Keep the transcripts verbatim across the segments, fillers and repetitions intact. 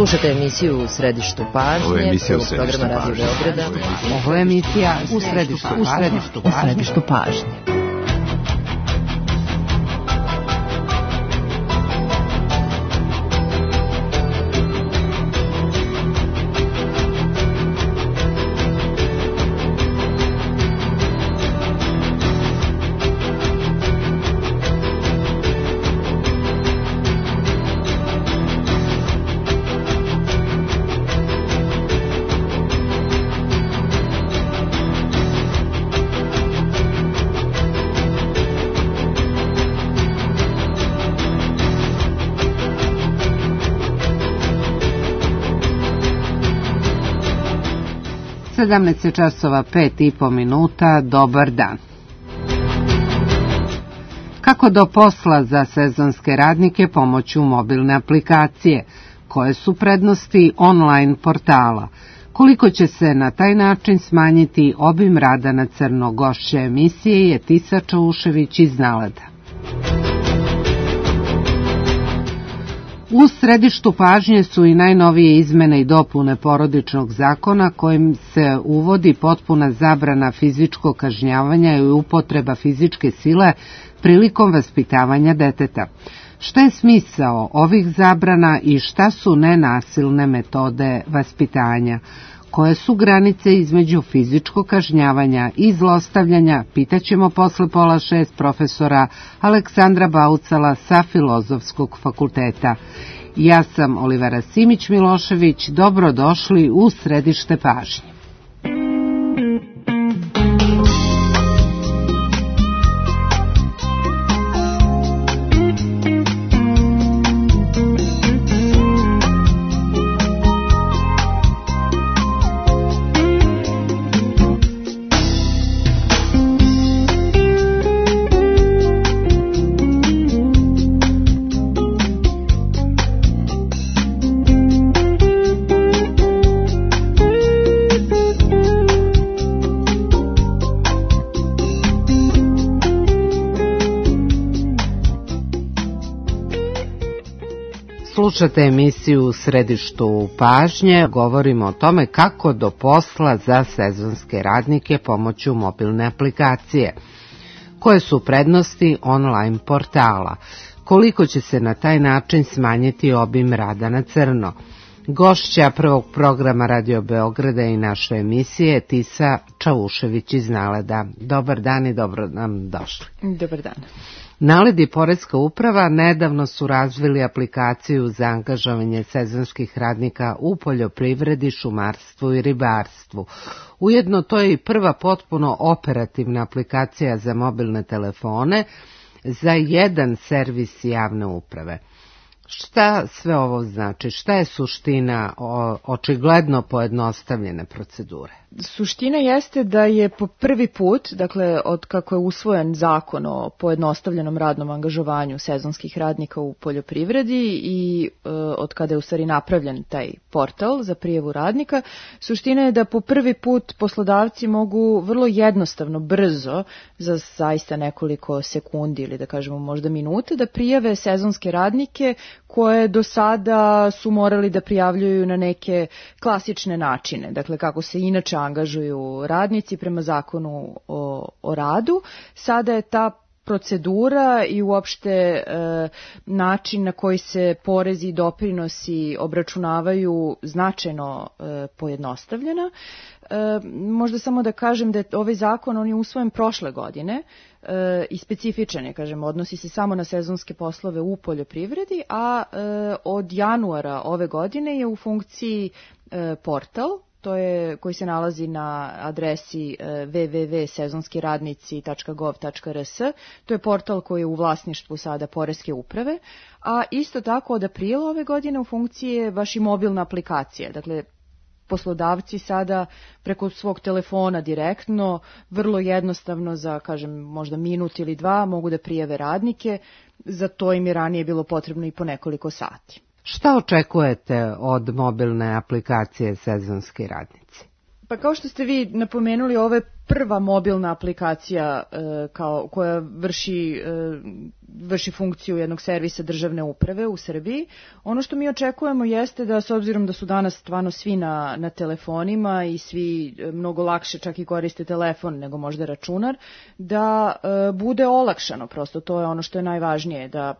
Slušate emisiju U središtu pažnje. Ovo je emisija U središtu pažnje. Ovo je emisija U središtu pažnje. U središtu pažnje. sedamnaest časova pet i po minuta, dobar dan. Kako do posla za sezonske radnike pomoću mobilne aplikacije? Koje su prednosti online portala? Koliko će se na taj način smanjiti obim rada na crno? Gošća emisije je Tisa Čaušević iz Naleda. U središtu pažnje su i najnovije izmene i dopune Porodičnog zakona kojim se uvodi potpuna zabrana fizičkog kažnjavanja i upotreba fizičke sile prilikom vaspitavanja deteta. Šta je smisao ovih zabrana i šta su nenasilne metode vaspitanja? Koje su granice između fizičkog kažnjavanja i zlostavljanja, pitaćemo posle pola šest profesora Aleksandra Baucala sa Filozofskog fakulteta. Ja sam Olivera Simić-Milošević, dobrodošli u središte pažnje. Slušate emisiju U središtu pažnje. Govorimo o tome kako do posla za sezonske radnike pomoću mobilne aplikacije. Koje su prednosti online portala? Koliko će se na taj način smanjiti obim rada na crno? Gošća prvog programa Radio Beograda i naše emisije Tisa Čaušević iz Naleda. Dobar dan i dobro nam došli. Dobar dan. Naled i Poreska uprava nedavno su razvili aplikaciju za angažovanje sezonskih radnika u poljoprivredi, šumarstvu i ribarstvu. Ujedno to je i prva potpuno operativna aplikacija za mobilne telefone za jedan servis javne uprave. Šta sve ovo znači? Šta je suština o, očigledno pojednostavljene procedure? Suština jeste da je po prvi put, dakle od kako je usvojen zakon o pojednostavljenom radnom angažovanju sezonskih radnika u poljoprivredi i e, od kada je u stvari napravljen taj portal za prijavu radnika, suština je da po prvi put poslodavci mogu vrlo jednostavno, brzo, za zaista nekoliko sekundi ili da kažemo možda minute, da prijave sezonske radnike koje do sada su morali da prijavljuju na neke klasične načine, dakle kako se inače angažuju radnici prema zakonu o, o radu. Sada je ta procedura i uopšte e, način na koji se porezi i doprinosi obračunavaju značajno e, pojednostavljena. E, možda samo da kažem da je ovaj zakon, on je usvojen prošle godine e, i specifičan je, kažem, odnosi se samo na sezonske poslove u poljoprivredi, a e, od januara ove godine je u funkciji e, portal, to je, koji se nalazi na adresi w w w tačka sezonski radnici tačka gov tačka r s. To je portal koji je u vlasništvu sada Poreske uprave, a isto tako od aprila ove godine u funkciji je baš i mobilna aplikacija. Dakle, poslodavci sada preko svog telefona direktno, vrlo jednostavno za, kažem, možda minut ili dva mogu da prijave radnike, za to im je ranije bilo potrebno i po nekoliko sati. Šta očekujete od mobilne aplikacije Sezonski radnici? Pa kao što ste vi napomenuli, ovo je prva mobilna aplikacija kao, koja vrši, vrši funkciju jednog servisa državne uprave u Srbiji. Ono što mi očekujemo jeste da, s obzirom da su danas stvarno svi na, na telefonima i svi mnogo lakše čak i koriste telefon nego možda računar, da bude olakšano, prosto to je ono što je najvažnije, da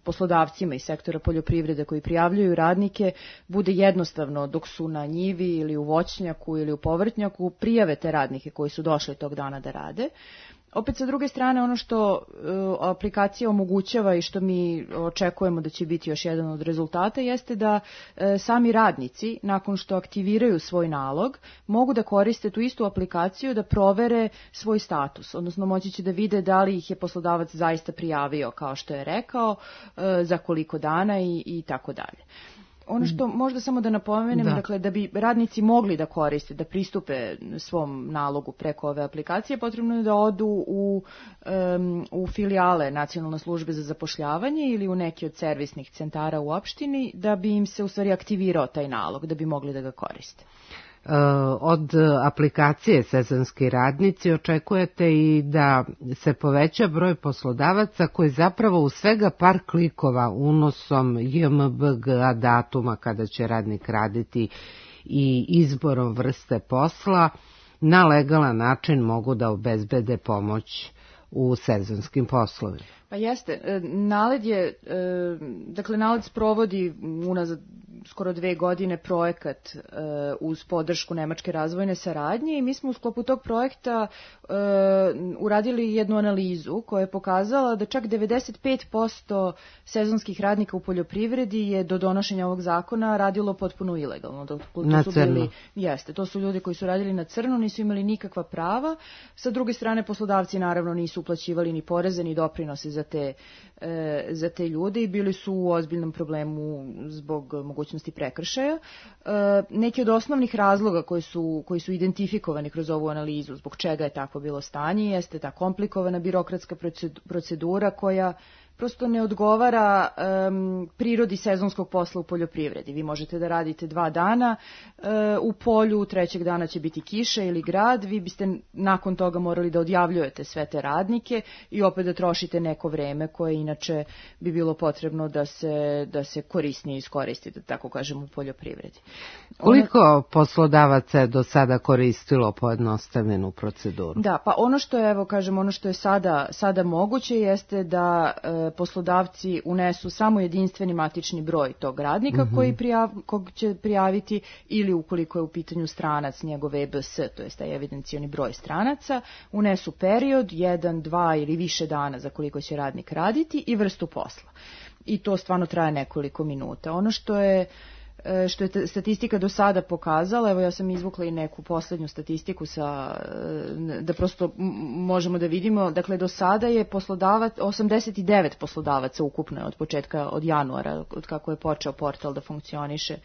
poslodavcima iz sektora poljoprivrede koji prijavljuju radnike bude jednostavno dok su na njivi ili u voćnjaku ili u povrtnjaku prijave te radnike koji su došli tog dana da rade. Opet sa druge strane ono što uh, aplikacija omogućava i što mi očekujemo da će biti još jedan od rezultata jeste da uh, sami radnici nakon što aktiviraju svoj nalog mogu da koriste tu istu aplikaciju da provere svoj status, odnosno moći će da vide da li ih je poslodavac zaista prijavio kao što je rekao, uh, za koliko dana i, i tako dalje. Ono što možda samo da napomenem, da. dakle, da bi radnici mogli da koriste, da pristupe svom nalogu preko ove aplikacije, potrebno je da odu u, um, u filijale Nacionalne službe za zapošljavanje ili u neki od servisnih centara u opštini, da bi im se u stvari aktivirao taj nalog, da bi mogli da ga koriste. Od aplikacije Sezonski radnici očekujete i da se poveća broj poslodavaca koji zapravo u svega par klikova unosom J M B G A datuma kada će radnik raditi i izborom vrste posla na legalan način mogu da obezbede pomoć u sezonskim poslovima. Pa jeste, NALED je, dakle NALED sprovodi unazad skoro dve godine projekat uz podršku Nemačke razvojne saradnje i mi smo u sklopu tog projekta uradili jednu analizu koja je pokazala da čak devedeset pet posto sezonskih radnika u poljoprivredi je do donošenja ovog zakona radilo potpuno ilegalno. To na su crno. Bili, jeste, to su ljudi koji su radili na crno, nisu imali nikakva prava. Sa druge strane, poslodavci naravno nisu uplaćivali ni poreze ni doprinose za te, e, za te ljude i bili su u ozbiljnom problemu zbog mogućnosti prekršaja. E, neki od osnovnih razloga koji su, koji su identifikovani kroz ovu analizu, zbog čega je tako bilo stanje, jeste ta komplikovana birokratska procedura koja prosto ne odgovara um, prirodi sezonskog posla u poljoprivredi. Vi možete da radite dva dana uh, u polju, trećeg dana će biti kiša ili grad, vi biste nakon toga morali da odjavljujete sve te radnike i opet da trošite neko vreme koje inače bi bilo potrebno da se, da se korisnije iskoristi, da tako kažem, u poljoprivredi. Koliko ono, poslodavaca je do sada koristilo pojednostavljenu proceduru? Da, pa ono što je, evo kažem, ono što je sada, sada moguće jeste da uh, poslodavci unesu samo jedinstveni matični broj tog radnika mm-hmm. koji prijav, kog će prijaviti ili ukoliko je u pitanju stranac njegov E B S, to je taj evidencioni broj stranaca, unesu period, jedan, dva ili više dana za koliko će radnik raditi i vrstu posla. I to stvarno traje nekoliko minuta. Ono što je što je statistika do sada pokazala, evo ja sam izvukla i neku poslednju statistiku sa, da prosto možemo da vidimo, dakle do sada je poslodavac, osamdeset devet poslodavaca ukupno od početka, od januara, od kako je počeo portal da funkcioniše,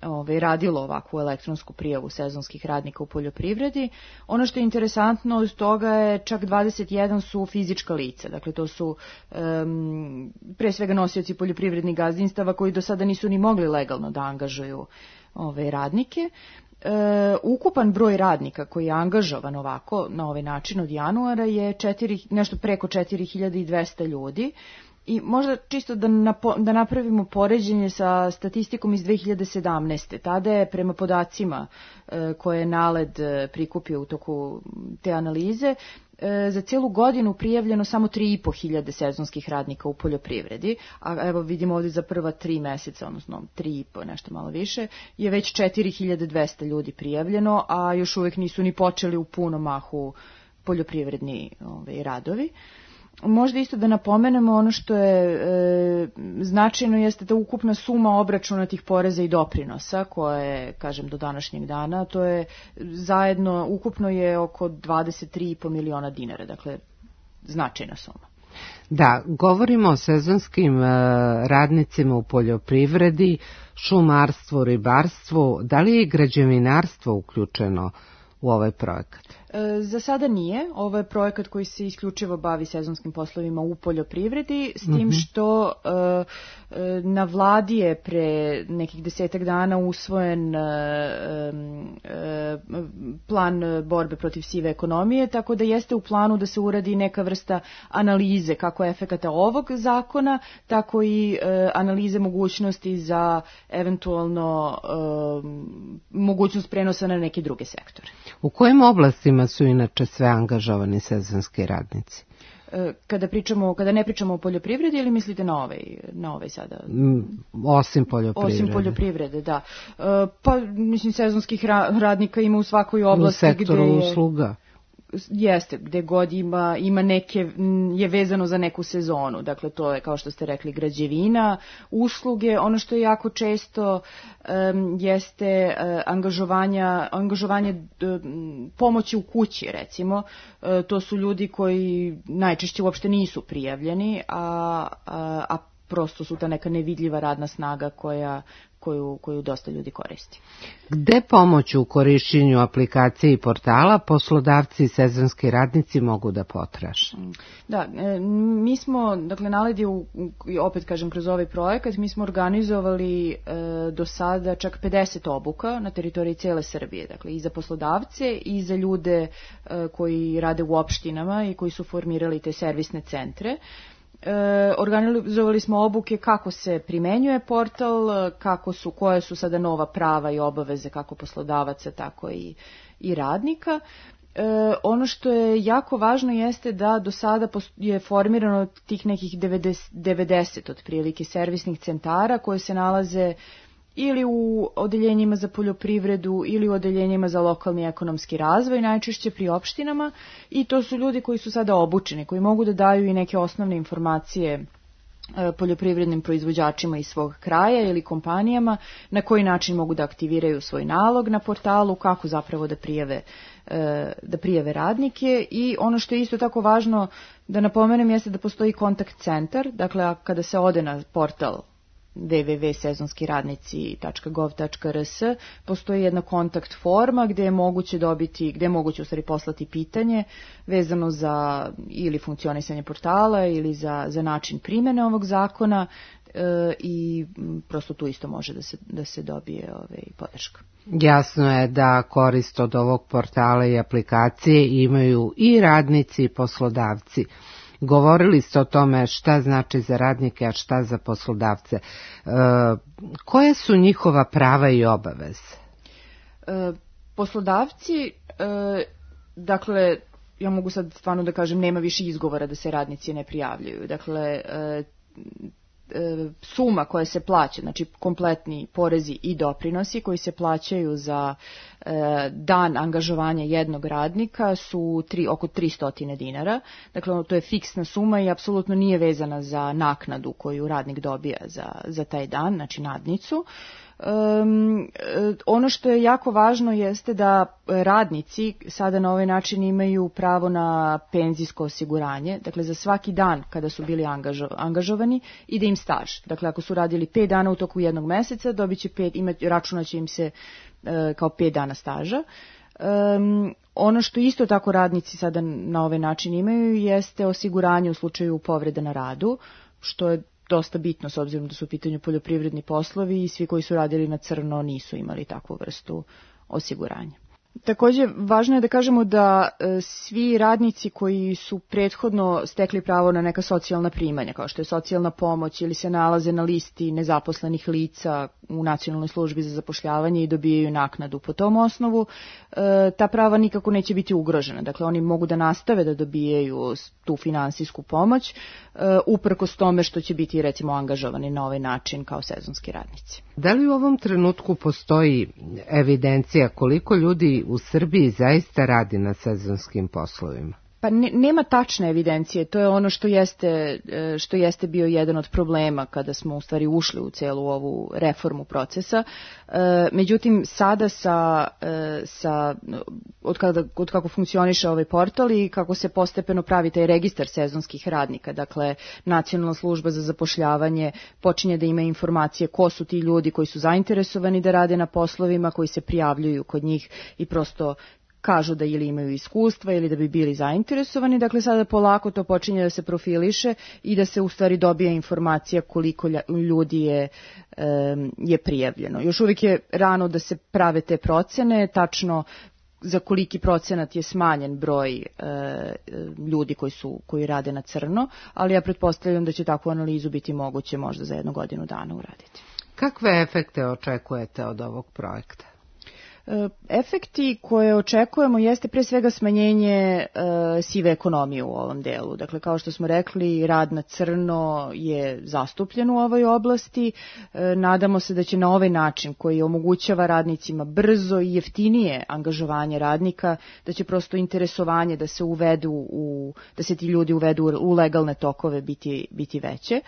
Ove, radilo ovakvu elektronsku prijavu sezonskih radnika u poljoprivredi. Ono što je interesantno od toga je čak dvadeset jedan su fizička lica, dakle to su um, pre svega nosioci poljoprivrednih gazdinstava koji do sada nisu ni mogli legalno da angažuju ove radnike. E, ukupan broj radnika koji je angažovan ovako na ovaj način od januara je četiri, nešto preko četiri hiljade dvesta ljudi. I možda čisto da, napo, da napravimo poređenje sa statistikom iz dve hiljade sedamnaeste. Tada je prema podacima e, koje je NALED prikupio u toku te analize, e, za cijelu godinu prijavljeno samo tri i po hiljade sezonskih radnika u poljoprivredi, a evo vidimo ovdje za prva tri meseca, odnosno tri i po, nešto malo više, je već četiri hiljade dvesta ljudi prijavljeno, a još uvijek nisu ni počeli u punom mahu poljoprivredni ove, radovi. Možda isto da napomenemo ono što je e, značajno jeste da ukupna suma obračunatih poreza i doprinosa koje, kažem, do današnjeg dana, to je zajedno, ukupno je oko dvadeset tri i po miliona dinara, dakle značajna suma. Da, govorimo o sezonskim e, radnicima u poljoprivredi, šumarstvu, ribarstvu, da li je građevinarstvo uključeno u ovaj projekat? Za sada nije. Ovo je projekat koji se isključivo bavi sezonskim poslovima u poljoprivredi, s tim mm-hmm. što na vladi je pre nekih desetak dana usvojen plan borbe protiv sive ekonomije, tako da jeste u planu da se uradi neka vrsta analize kako efekata ovog zakona, tako i analize mogućnosti za eventualno mogućnost prenosa na neke druge sektore. U kojim oblastima su inače sve angažovani sezonski radnici? Kada pričamo, kada ne pričamo o poljoprivredi, ili mislite na ovaj, na ovaj sada? Osim poljoprivrede. Osim poljoprivrede, da. Pa, mislim, sezonskih radnika ima u svakoj oblasti. U sektoru gde je, usluga. Jeste, gde god ima, ima neke, je vezano za neku sezonu. Dakle, to je, kao što ste rekli, građevina, usluge. Ono što je jako često um, jeste uh, angažovanja, angažovanje um, pomoći u kući, recimo. Uh, to su ljudi koji najčešće uopšte nisu prijavljeni, a, a, a prosto su ta neka nevidljiva radna snaga koja Koju, koju dosta ljudi koristi. Gde pomoć u korišćenju aplikacije i portala poslodavci i sezonski radnici mogu da potraže? Da, mi smo, dakle, naledi, u, opet kažem, kroz ovaj projekat, mi smo organizovali e, do sada čak pedeset obuka na teritoriji cele Srbije, dakle, i za poslodavce i za ljude e, koji rade u opštinama i koji su formirali te servisne centre. E, organizovali smo obuke kako se primenjuje portal, kako su, koje su sada nova prava i obaveze kako poslodavaca, tako i, i radnika. E, ono što je jako važno jeste da do sada je formirano tih nekih devedeset, devedeset otprilike servisnih centara koje se nalaze ili u odeljenjima za poljoprivredu ili u odeljenjima za lokalni ekonomski razvoj, najčešće pri opštinama, i to su ljudi koji su sada obučeni, koji mogu da daju i neke osnovne informacije poljoprivrednim proizvođačima iz svog kraja ili kompanijama, na koji način mogu da aktiviraju svoj nalog na portalu, kako zapravo da prijave, da prijave radnike. I ono što je isto tako važno da napomenem jeste da postoji kontakt centar, dakle kada se ode na portal w w w tačka sezonski radnici tačka gov tačka r s postoji jedna kontakt forma gde je moguće dobiti, gde je moguće u stvari poslati pitanje vezano za ili funkcionisanje portala ili za, za način primene ovog zakona e, i prosto tu isto može da se, da se dobije ovaj, podrška. Jasno je da korist od ovog portala i aplikacije imaju i radnici i poslodavci. Govorili ste o tome šta znači za radnike, a šta za poslodavce. E, koje su njihova prava i obaveze? E, poslodavci, e, dakle, ja mogu sad stvarno da kažem, nema više izgovora da se radnici ne prijavljuju. Dakle, e, suma koja se plaća, znači kompletni porezi i doprinosi koji se plaćaju za e, dan angažovanja jednog radnika su tri, oko tristo dinara. Dakle, to je fiksna suma i apsolutno nije vezana za naknadu koju radnik dobija za, za taj dan, znači nadnicu. Um, ono što je jako važno jeste da radnici sada na ovaj način imaju pravo na penzijsko osiguranje, dakle za svaki dan kada su bili angažo, angažovani ide im staž. Dakle, ako su radili pet dana u toku jednog meseca, dobit će pet, imati, računat će im se uh, kao pet dana staža. Um, ono što isto tako radnici sada na ovaj način imaju jeste osiguranje u slučaju povrede na radu, što je dosta bitno s obzirom da su u pitanju poljoprivredni poslovi i svi koji su radili na crno nisu imali takvu vrstu osiguranja. Takođe, važno je da kažemo da e, svi radnici koji su prethodno stekli pravo na neka socijalna primanja, kao što je socijalna pomoć ili se nalaze na listi nezaposlenih lica u Nacionalnoj službi za zapošljavanje i dobijaju naknadu po tom osnovu, e, ta prava nikako neće biti ugrožena. Dakle, oni mogu da nastave da dobijaju tu finansijsku pomoć, e, uprkos tome što će biti, recimo, angažovani na ovaj način kao sezonski radnici. Da li u ovom trenutku postoji evidencija koliko ljudi u Srbiji zaista radi na sezonskim poslovima? Pa ne, nema tačne evidencije, to je ono što jeste, što jeste bio jedan od problema kada smo u stvari ušli u celu ovu reformu procesa. Međutim, sada sa, sa od, kada, od kako funkcioniše ovaj portal i kako se postepeno pravi taj registar sezonskih radnika, dakle Nacionalna služba za zapošljavanje počinje da ima informacije ko su ti ljudi koji su zainteresovani da rade na poslovima, koji se prijavljuju kod njih i prosto kažu da ili imaju iskustva ili da bi bili zainteresovani. Dakle, sada polako to počinje da se profiliše i da se u stvari dobija informacija koliko ljudi je, je prijavljeno. Još uvijek je rano da se prave te procene, tačno za koliki procenat je smanjen broj e, ljudi koji su koji rade na crno, ali ja pretpostavljam da će takvu analizu biti moguće možda za jednu godinu dana uraditi. Kakve efekte očekujete od ovog projekta? Efekti koje očekujemo jeste pre svega smanjenje e, sive ekonomije u ovom delu. Dakle, kao što smo rekli, rad na crno je zastupljen u ovoj oblasti. E, nadamo se da će na ovaj način koji omogućava radnicima brzo i jeftinije angažovanje radnika, da će prosto interesovanje da se uvedu u, da se ti ljudi uvedu u legalne tokove biti, biti veće. E,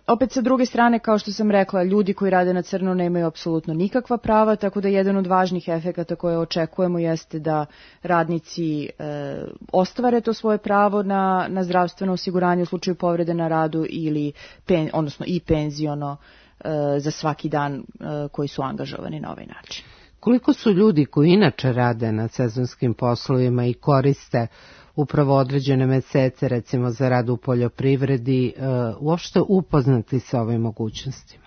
opet sa druge strane, kao što sam rekla, ljudi koji rade na crno nemaju apsolutno nikakva prava, tako da jedan od važnih efekata koje očekujemo jeste da radnici e, ostvare to svoje pravo na, na zdravstveno osiguranje u slučaju povrede na radu ili pen, odnosno i penziono e, za svaki dan e, koji su angažovani na ovaj način. Koliko su ljudi koji inače rade na sezonskim poslovima i koriste upravo određene mesece, recimo za rad u poljoprivredi, e, uopšte upoznati sa ovim mogućnostima?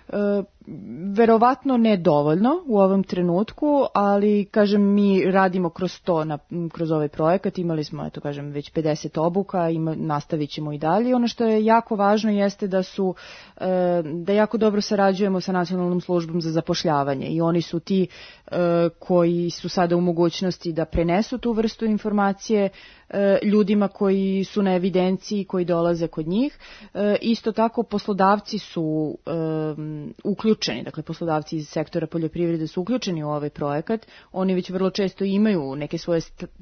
E, verovatno ne dovoljno u ovom trenutku, ali kažem mi radimo kroz to, na, kroz ovaj projekat, imali smo eto kažem već pedeset obuka, ima, nastavit ćemo i dalje. Ono što je jako važno jeste da su e, da jako dobro sarađujemo sa Nacionalnom službom za zapošljavanje i oni su ti e, koji su sada u mogućnosti da prenesu tu vrstu informacije e, ljudima koji su na evidenciji, koji dolaze kod njih. E, isto tako poslodavci su e, uključeni, dakle poslodavci iz sektora poljoprivrede su uključeni u ovaj projekat, oni već vrlo često imaju neke svoje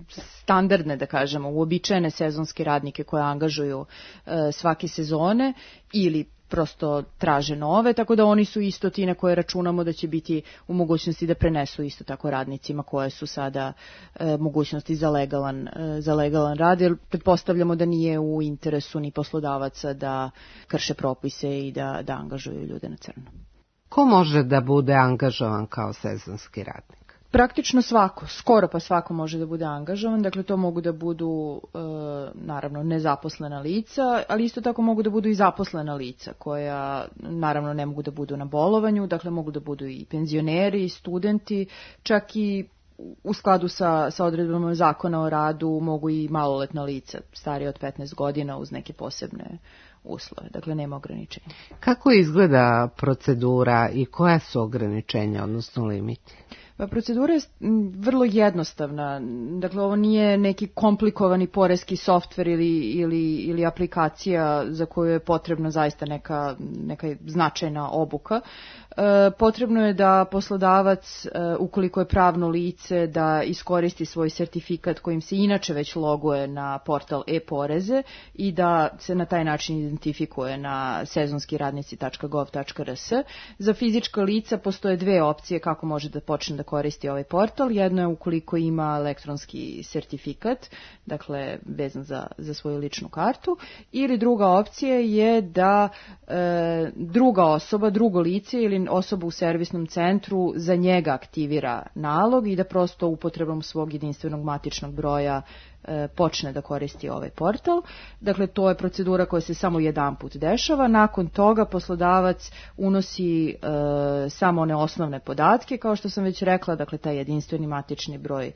standardne, da kažemo, uobičajene sezonske radnike koje angažuju e, svake sezone ili prosto traže nove, tako da oni su isto ti na koje računamo da će biti u mogućnosti da prenesu isto tako radnicima koje su sada e, mogućnosti za legalan, e, za legalan rad, jer pretpostavljamo da nije u interesu ni poslodavaca da krše propise i da, da angažuju ljude na crno. Ko može da bude angažovan kao sezonski radnik? Praktično svako, skoro pa svako može da bude angažovan, dakle to mogu da budu e, naravno nezaposlena lica, ali isto tako mogu da budu i zaposlena lica koja naravno ne mogu da budu na bolovanju, dakle mogu da budu i penzioneri, studenti, čak i u skladu sa, sa odredbama zakona o radu mogu i maloletna lica, starije od petnaest godina uz neke posebne uslove, dakle nema ograničenja. Kako izgleda procedura i koja su ograničenja, odnosno limiti? Pa procedura je vrlo jednostavna, dakle ovo nije neki komplikovani poreski softver ili, ili, ili aplikacija za koju je potrebna zaista neka, neka značajna obuka. E, potrebno je da poslodavac, e, ukoliko je pravno lice, da iskoristi svoj sertifikat kojim se inače već loguje na portal e-poreze i da se na taj način identifikuje na sezonski radnici tačka gov tačka r s. Za fizička lica postoje dve opcije kako može da počne da koristi ovaj portal. Jedno je ukoliko ima elektronski sertifikat, dakle vezan za, za svoju ličnu kartu, ili druga opcija je da e, druga osoba, drugo lice ili osoba u servisnom centru za njega aktivira nalog i da prosto upotrebom svog jedinstvenog matičnog broja počne da koristi ovaj portal. Dakle, to je procedura koja se samo jedan put dešava. Nakon toga poslodavac unosi e, samo one osnovne podatke, kao što sam već rekla, dakle, taj jedinstveni matični broj e,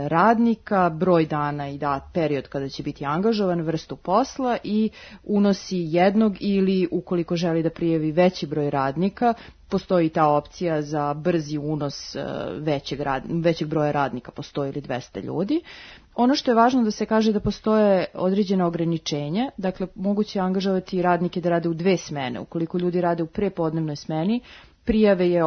radnika, broj dana i da, period kada će biti angažovan, vrstu posla i unosi jednog ili, ukoliko želi da prijavi veći broj radnika, postoji ta opcija za brzi unos većeg, rad, većeg broja radnika, postoji ili dvesta ljudi. Ono što je važno da se kaže da postoje određena ograničenja, dakle moguće je angažovati radnike da rade u dve smene. Ukoliko ljudi rade u prepodnevnoj smeni, prijave, je,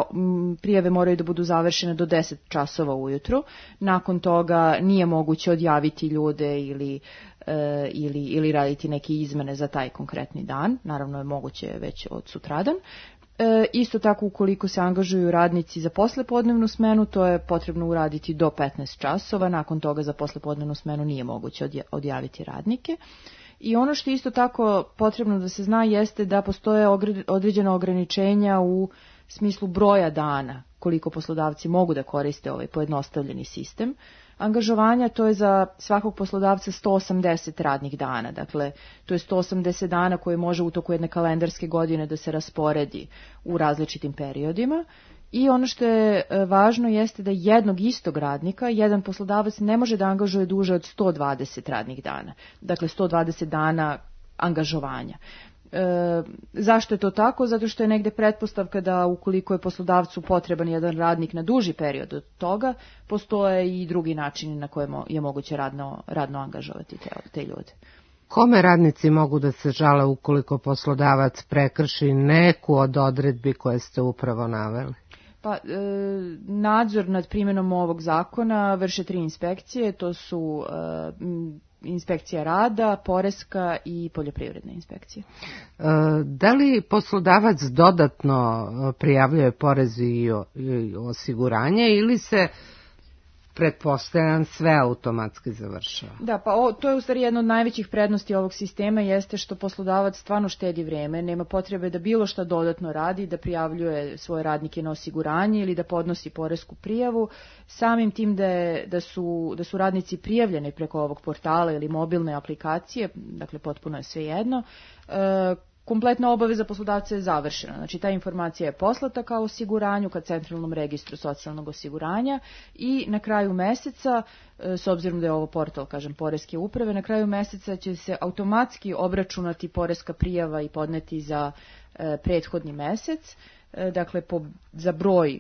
prijave moraju da budu završene do deset časova ujutru. Nakon toga nije moguće odjaviti ljude ili, e, ili, ili raditi neke izmene za taj konkretni dan. Naravno je moguće već od sutradan. E, isto tako ukoliko se angažuju radnici za poslepodnevnu smenu, to je potrebno uraditi do petnaest časova, nakon toga za poslepodnevnu smenu nije moguće odjaviti radnike. I ono što isto tako potrebno da se zna jeste da postoje određena ograničenja u smislu broja dana koliko poslodavci mogu da koriste ovaj pojednostavljeni sistem angažovanja. To je za svakog poslodavca sto osamdeset radnih dana. Dakle, to je sto osamdeset dana koje može u toku jedne kalendarske godine da se rasporedi u različitim periodima. I ono što je važno jeste da jednog istog radnika jedan poslodavac ne može da angažuje duže od sto dvadeset radnih dana. Dakle, sto dvadeset dana angažovanja. E, zašto je to tako? Zato što je negde pretpostavka da ukoliko je poslodavcu potreban jedan radnik na duži period od toga, postoje i drugi načini na koje je moguće radno, radno angažovati te, te ljude. Kome radnici mogu da se žale ukoliko poslodavac prekrši neku od odredbi koje ste upravo naveli? Pa, e, nadzor nad primjenom ovog zakona vrše tri inspekcije, to su e, inspekcija rada, poreska i poljoprivredna inspekcija. E, da li poslodavac dodatno prijavljuje porez i osiguranje ili se pretpostavljam sve automatski završava? Da, pa o, to je u stvari jedna od najvećih prednosti ovog sistema, jeste što poslodavac stvarno štedi vreme, nema potrebe da bilo šta dodatno radi, da prijavljuje svoje radnike na osiguranje ili da podnosi poresku prijavu. Samim tim da, je, da, su, da su radnici prijavljeni preko ovog portala ili mobilne aplikacije, dakle potpuno je sve jedno, e, kompletna obaveza poslodavca je završena. Znači, ta informacija je poslata kao osiguranju ka Centralnom registru socijalnog osiguranja i na kraju meseca, s obzirom da je ovo portal, kažem, poreske uprave, na kraju meseca će se automatski obračunati poreska prijava i podneti za e, prethodni mesec, e, dakle, po, za broj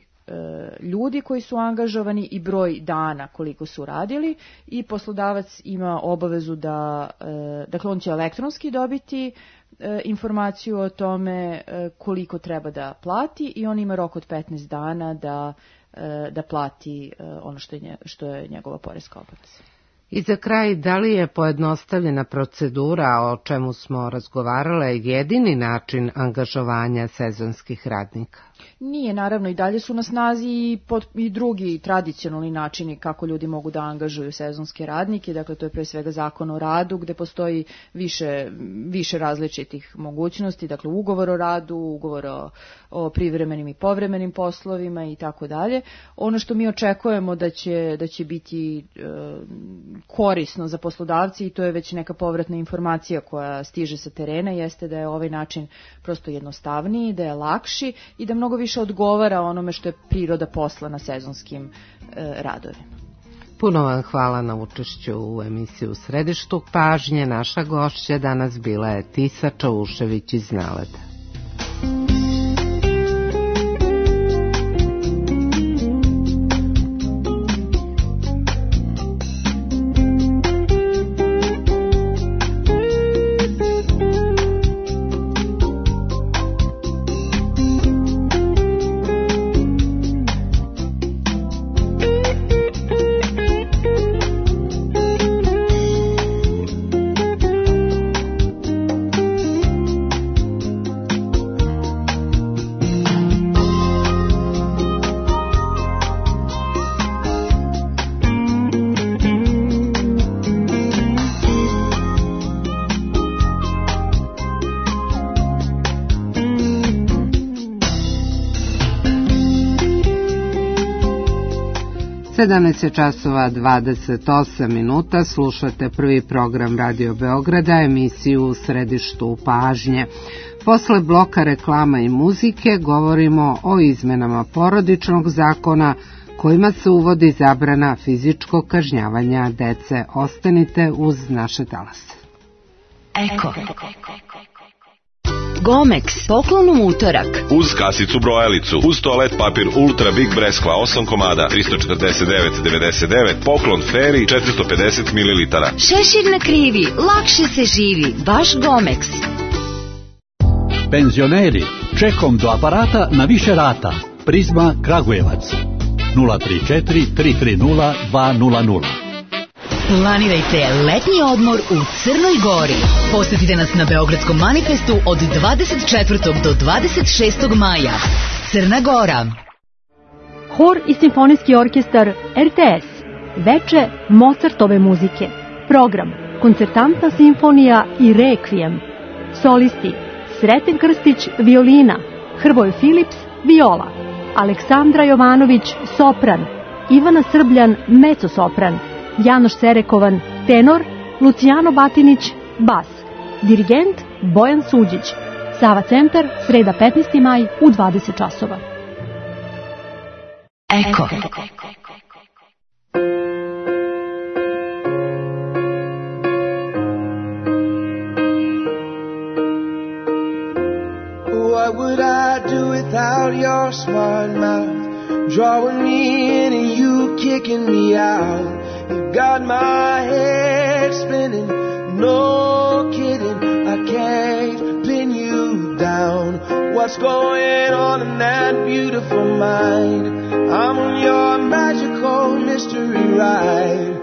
ljudi koji su angažovani i broj dana koliko su radili i poslodavac ima obavezu da, dakle on će elektronski dobiti informaciju o tome koliko treba da plati i on ima rok od petnaest dana da, da plati ono što je, što je njegova poreska obaveza. I za kraj, da li je pojednostavljena procedura, o čemu smo razgovarale, jedini način angažovanja sezonskih radnika? Nije, naravno, i dalje su na snazi i, pod, i drugi tradicionalni načini kako ljudi mogu da angažuju sezonske radnike, dakle to je pre svega zakon o radu gde postoji više, više različitih mogućnosti, dakle ugovor o radu, ugovor o, o privremenim i povremenim poslovima i tako dalje. Ono što mi očekujemo da će, da će biti e, korisno za poslodavci i to je već neka povratna informacija koja stiže sa terena, jeste da je ovaj način prosto jednostavniji, da je lakši i da mnogo više odgovara onome što je priroda posla na sezonskim e, radovima. Puno vam hvala na učešću u emisiji U središtu pažnje. Naša gošća danas bila je Tisa Čaušević iz Naleda. sedamnaest časova dvadeset osam minuta, slušate prvi program Radio Beograda, emisiju U središtu pažnje. Posle bloka reklama i muzike govorimo o izmenama porodičnog zakona kojima se uvodi zabrana fizičkog kažnjavanja dece. Ostanite uz naše talase. Eko. Gomex, poklon u utorak. Uz kasicu brojalicu, uz toalet papir Ultra Big Breskva osam komada, tristo četrdeset devet devedeset devet, poklon Feri četiristo pedeset mililitara. Šešir na krivi, lakše se živi, baš Gomex. Penzioneri, čekom do aparata na više rata. Prizma Kragujevac, nula tri četiri tri tri nula dva nula nula. Planirajte letnji odmor u Crnoj Gori. Posetite nas na Beogradskom manifestu od dvadeset četvrtog do dvadeset šestog maja. Crna Gora. Hor i simfonijski orkestar R T S. Veče Mozartove muzike. Program Koncertantna simfonija i Rekvijem. Solisti Sreten Krstić, violina, Hrvoje Filips, viola. Aleksandra Jovanović, sopran, Ivana Srbljan, mecosopran, Janoš Serekovan, tenor, Lucijano Batinić, bas, dirigent Bojan Suđić. Sava centar, sreda petnaesti maj u dvadeset časova. Eko. What would I do without your smart mouth? Drawing me in and you kicking me out. You got my head spinning, no kidding, I can't pin you down. What's going on in that beautiful mind? I'm on your magical mystery ride,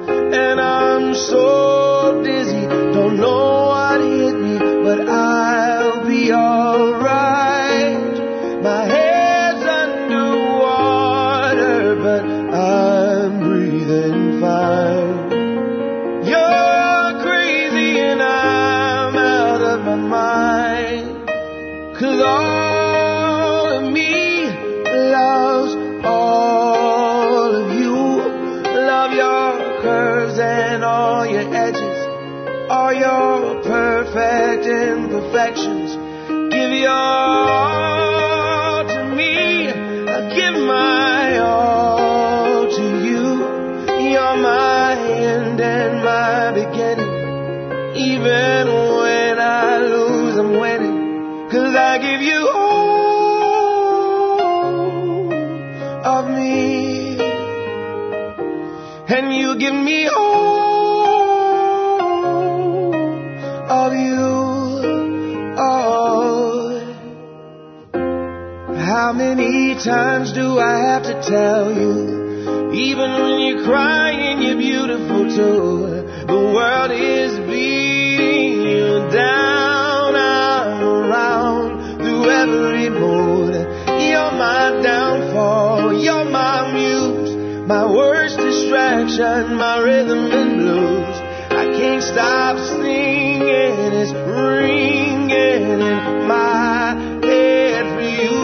and I'm so dizzy, don't know what hit me, but I'll be alright. My head's underwater, but I'm breathing fine. You're crazy and I'm out of my mind, 'cause all of me loves all of you. Love your curves and all your edges, all your perfect imperfections. Give your all to me, I give my all to you. You're my end and my beginning. Even when I lose, I'm winning, 'cause I give you all of me, and you give me all of you. Oh, how many times do I have to tell you? Even when you're crying, you're beautiful too. The world is beating you down. I'm around through every mood. You're my downfall, you're my muse, my worst distraction, my rhythm and blues. I can't stop singing, it's ringing in my head for you.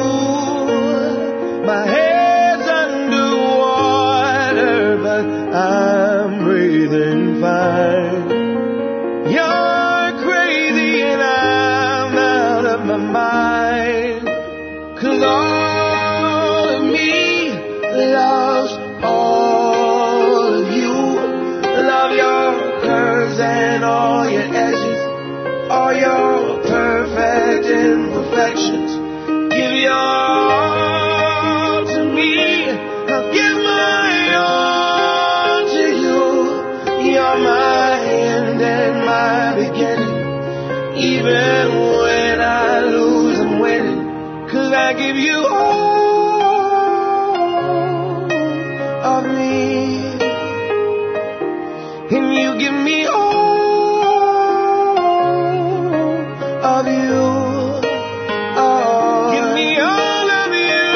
My head's underwater, but I'm breathing fine. You're crazy and I'm out of my mind, 'cause all of me loves all of you. Love your curves and all your edges, all your perfect imperfections. Give your all to me, I'll give my all to you. You're my end and my beginning. Even when I lose, I'm winning, 'cause I give you all of me, and you give me all of you. Oh, give me all of you.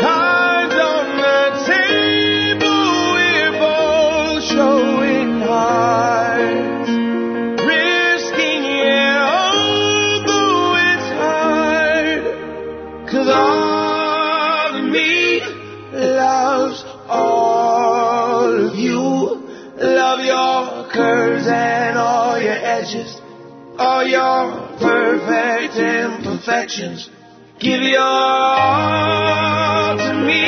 Cards on the table, we're both showing hearts, risking it, although it's hard, 'cause all of me loves all of you. Love your curves and all your edges, all your perfect imperfections. Give your all to me,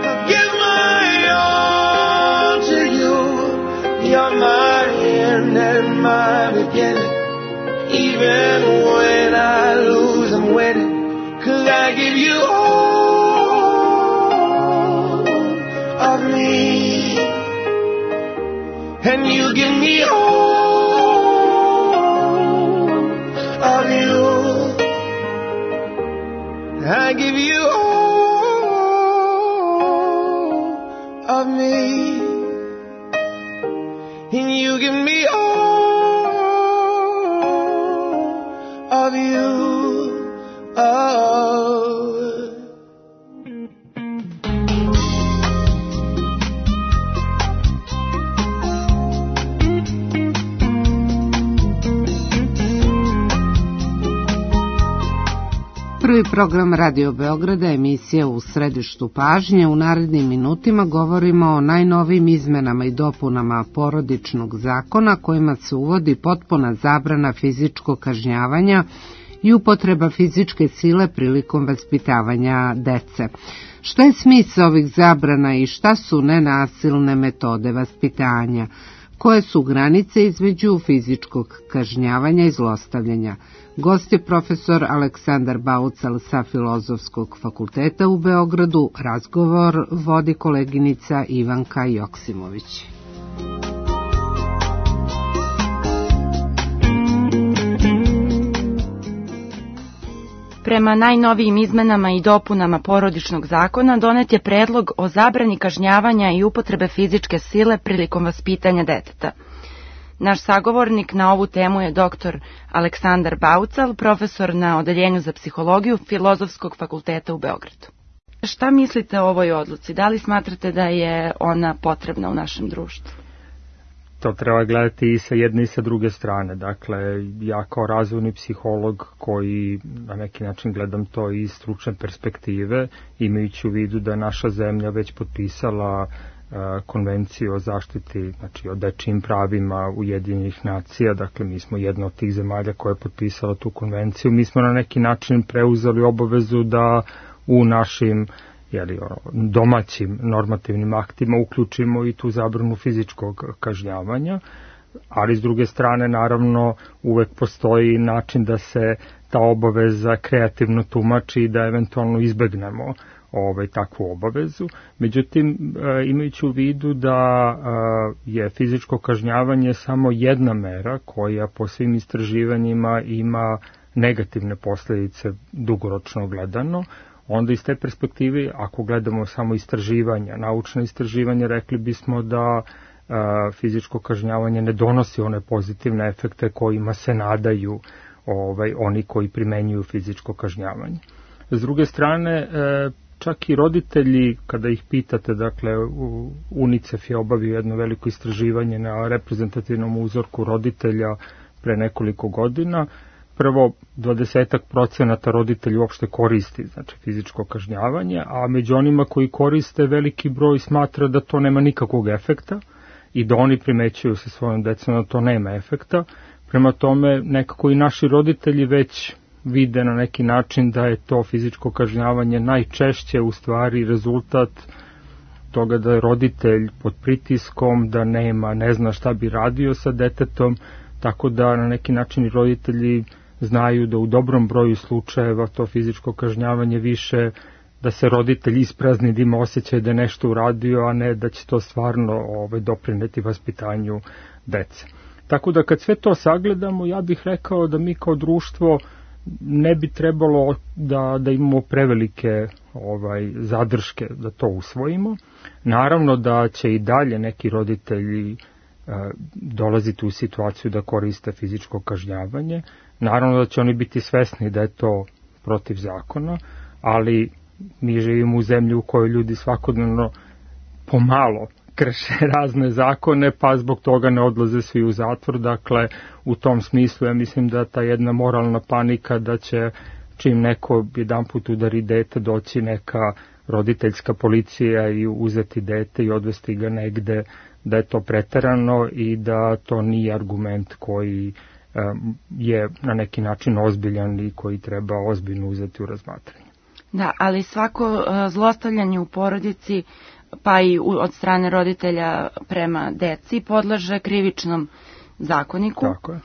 I'll give my all to you. You're my end and my beginning. Even when I lose, I'm winning, 'cause I give you all of me, and you give me all of you. I give you all of me, and you give me all of you. Oh. prvi program Radio Beograda, emisija U središtu pažnje. U narednim minutima govorimo o najnovijim izmenama i dopunama porodičnog zakona kojima se uvodi potpuna zabrana fizičkog kažnjavanja i upotreba fizičke sile prilikom vaspitavanja dece. Šta je smisao ovih zabrana i šta su nenasilne metode vaspitanja? Koje su granice između fizičkog kažnjavanja i zlostavljanja? Gost je profesor Aleksandar Baucal sa Filozofskog fakulteta u Beogradu. Razgovor vodi koleginica Ivanka Joksimović. Prema najnovijim izmenama i dopunama porodičnog zakona donet je predlog o zabrani kažnjavanja i upotrebe fizičke sile prilikom vaspitanja deteta. Naš sagovornik na ovu temu je doktor Aleksandar Baucal, profesor na Odeljenju za psihologiju Filozofskog fakulteta u Beogradu. Šta mislite o ovoj odluci? Da li smatrate da je ona potrebna u našem društvu? To treba gledati i sa jedne i sa druge strane. Dakle, ja kao razvojni psiholog koji na neki način gledam to iz stručne perspektive, imajući u vidu da je naša zemlja već potpisala konvenciju o zaštiti, znači o dečijim pravima Ujedinjenih nacija, dakle mi smo jedna od tih zemalja koja je potpisala tu konvenciju, mi smo na neki način preuzeli obavezu da u našim jeli, domaćim normativnim aktima uključimo i tu zabranu fizičkog kažnjavanja, ali s druge strane naravno uvek postoji način da se ta obaveza kreativno tumači i da eventualno izbegnemo ovaj, takvu obavezu. Međutim, imajući u vidu da je fizičko kažnjavanje samo jedna mera koja po svim istraživanjima ima negativne posljedice dugoročno gledano, onda iz te perspektive, ako gledamo samo istraživanja, naučne istraživanja, rekli bismo da fizičko kažnjavanje ne donosi one pozitivne efekte kojima se nadaju ovaj, oni koji primenjuju fizičko kažnjavanje. S druge strane, čak i roditelji, kada ih pitate, dakle, UNICEF je obavio jedno veliko istraživanje na reprezentativnom uzorku roditelja pre nekoliko godina. Prvo, dvadesetak procenata roditelja uopšte koristi, znači fizičko kažnjavanje, a među onima koji koriste veliki broj smatra da to nema nikakvog efekta i da oni primećuju sa svojom decom da to nema efekta. Prema tome, nekako i naši roditelji već vide na neki način da je to fizičko kažnjavanje najčešće u stvari rezultat toga da je roditelj pod pritiskom, da nema, ne zna šta bi radio sa detetom, tako da na neki način i roditelji znaju da u dobrom broju slučajeva to fizičko kažnjavanje više da se roditelj isprazni, da ima osjećaj da je nešto uradio, a ne da će to stvarno ovaj, doprineti vaspitanju dece. Tako da kad sve to sagledamo, ja bih rekao da mi kao društvo ne bi trebalo da, da imamo prevelike ovaj, zadrške da to usvojimo. Naravno da će i dalje neki roditelji e, dolaziti u situaciju da koriste fizičko kažnjavanje. Naravno da će oni biti svesni da je to protiv zakona, ali mi živimo u zemlji u kojoj ljudi svakodnevno pomalo krše razne zakone, pa zbog toga ne odlaze svi u zatvor. Dakle, u tom smislu ja mislim da ta jedna moralna panika da će čim neko jedan put udari dete doći neka roditeljska policija i uzeti dete i odvesti ga negde, da je to preterano i da to nije argument koji um, je na neki način ozbiljan i koji treba ozbiljno uzeti u razmatranje. Da, ali svako uh, zlostavljanje u porodici pa i od strane roditelja prema deci podleže krivičnom zakoniku. Tako je.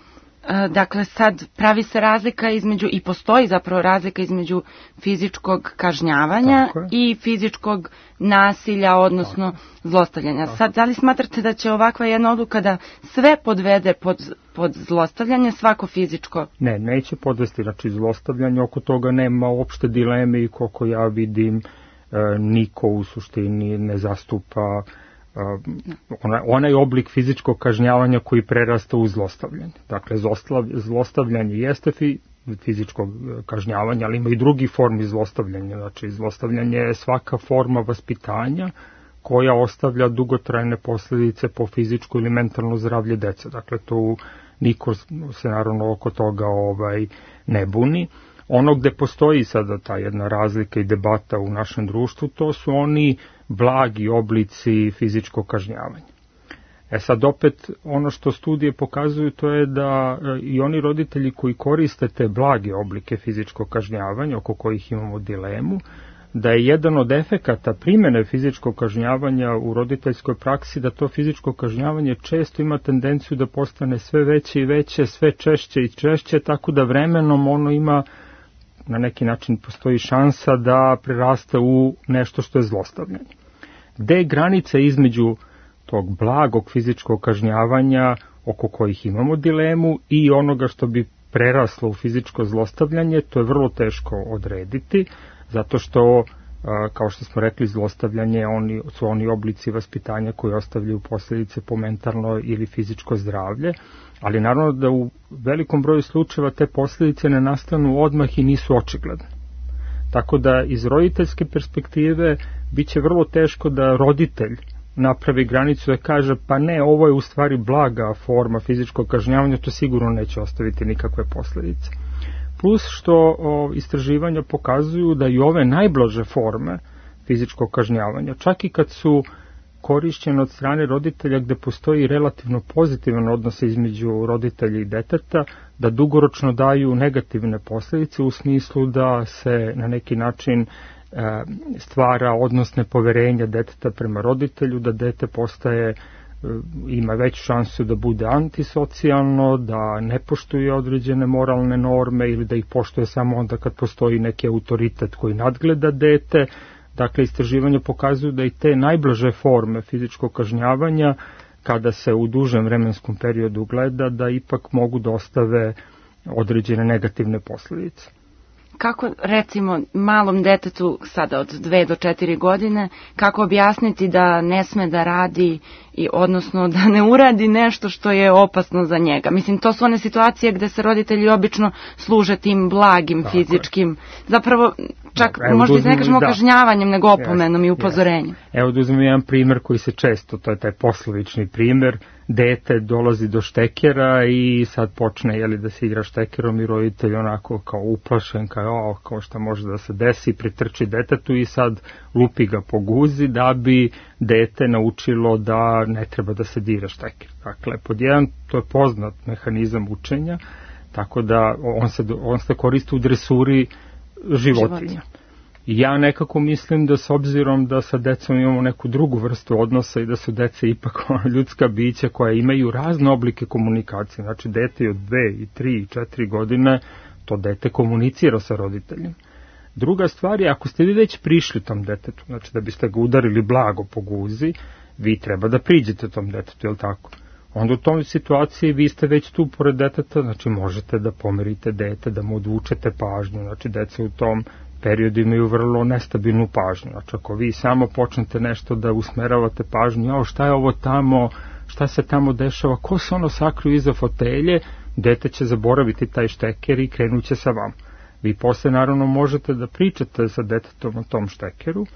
Dakle, sad pravi se razlika između, i postoji zapravo razlika između fizičkog kažnjavanja i fizičkog nasilja, odnosno Tako. zlostavljanja. Tako. Sad, da li smatrate da će ovakva jedna odluka da sve podvede pod, pod zlostavljanje, svako fizičko? Ne, neće podvesti, znači zlostavljanje, oko toga nema uopšte dileme i koliko ja vidim, niko u suštini ne zastupa onaj, onaj oblik fizičkog kažnjavanja koji prerasta u zlostavljanje. Dakle, zlostavljanje jeste fi, fizičko kažnjavanje, ali ima i drugi formi zlostavljanja. Znači, zlostavljanje je svaka forma vaspitanja koja ostavlja dugotrajne posljedice po fizičko ili mentalno zdravlje dece. Dakle, tu niko se naravno oko toga ovaj, ne buni. Ono gde postoji sada ta jedna razlika i debata u našem društvu, to su oni blagi oblici fizičkog kažnjavanja. E sad opet ono što studije pokazuju to je da i oni roditelji koji koriste te blage oblike fizičkog kažnjavanja, oko kojih imamo dilemu, da je jedan od efekata primjene fizičkog kažnjavanja u roditeljskoj praksi da to fizičko kažnjavanje često ima tendenciju da postane sve veće i veće, sve češće i češće, tako da vremenom ono ima, na neki način postoji šansa da preraste u nešto što je zlostavljanje. Gde je granica između tog blagog fizičkog kažnjavanja oko kojih imamo dilemu i onoga što bi preraslo u fizičko zlostavljanje, to je vrlo teško odrediti, zato što, kao što smo rekli, zlostavljanje oni, su oni oblici vaspitanja koji ostavljaju posljedice po mentalno ili fizičko zdravlje, ali naravno da u velikom broju slučajeva te posljedice ne nastanu odmah i nisu očigledne. Tako da iz roditeljske perspektive bit će vrlo teško da roditelj napravi granicu da kaže pa ne, ovo je u stvari blaga forma fizičkog kažnjavanja, to sigurno neće ostaviti nikakve posljedice. Plus što o, istraživanja pokazuju da i ove najblaže forme fizičkog kažnjavanja, čak i kad su korišćene od strane roditelja gde postoji relativno pozitivan odnos između roditelja i deteta, da dugoročno daju negativne posljedice u smislu da se na neki način stvara odnos nepoverenja deteta prema roditelju, da dete postaje, ima veću šansu da bude antisocijalno, da ne poštuje određene moralne norme ili da ih poštuje samo onda kad postoji neki autoritet koji nadgleda dete. Dakle, istraživanja pokazuju da i te najblaže forme fizičkog kažnjavanja, kada se u dužem vremenskom periodu gleda, da ipak mogu da ostave određene negativne posljedice. Kako, recimo, malom detetu sada od dve do četiri godine, kako objasniti da ne sme da radi, i odnosno da ne uradi nešto što je opasno za njega? Mislim, to su one situacije gde se roditelji obično služe tim blagim tako fizičkim, je. Zapravo čak Evo, možda uzmem, ne kažemo da. kažnjavanjem, nego opomenom yes, i upozorenjem. Yes. Evo da uzmem jedan primer koji se često, to je taj poslovični primer, dete dolazi do štekera i sad počne jeli, da se igra štekerom i roditelj onako kao uplašen, kao, o, kao šta može da se desi, pritrči detetu i sad lupi ga po guzi da bi dete naučilo da ne treba da se dira šteker. Dakle, pod jedan, to je poznat mehanizam učenja, tako da on se, on se koristi u dresuri životinja. Životinja. Ja nekako mislim da s obzirom da sa decom imamo neku drugu vrstu odnosa i da su dece ipak ljudska bića koja imaju razne oblike komunikacije. Znači, dete od dve i tri i četiri godine, to dete komunicira sa roditeljem. Druga stvar je, ako ste vi već prišli tom detetu, znači da biste ga udarili blago po guzi, vi treba da priđete tom detetu, je li tako? Onda u tom situaciji vi ste već tu pored deteta, znači možete da pomerite dete, da mu odvučete pažnju, znači deca u tom periodu imaju vrlo nestabilnu pažnju. Znači ako vi samo počnete nešto da usmeravate pažnju, jao šta je ovo tamo, šta se tamo dešava, ko se ono sakriju iza fotelje, dete će zaboraviti taj šteker i krenuće sa vam. Vi posle naravno možete da pričate sa detetom o tom štekeru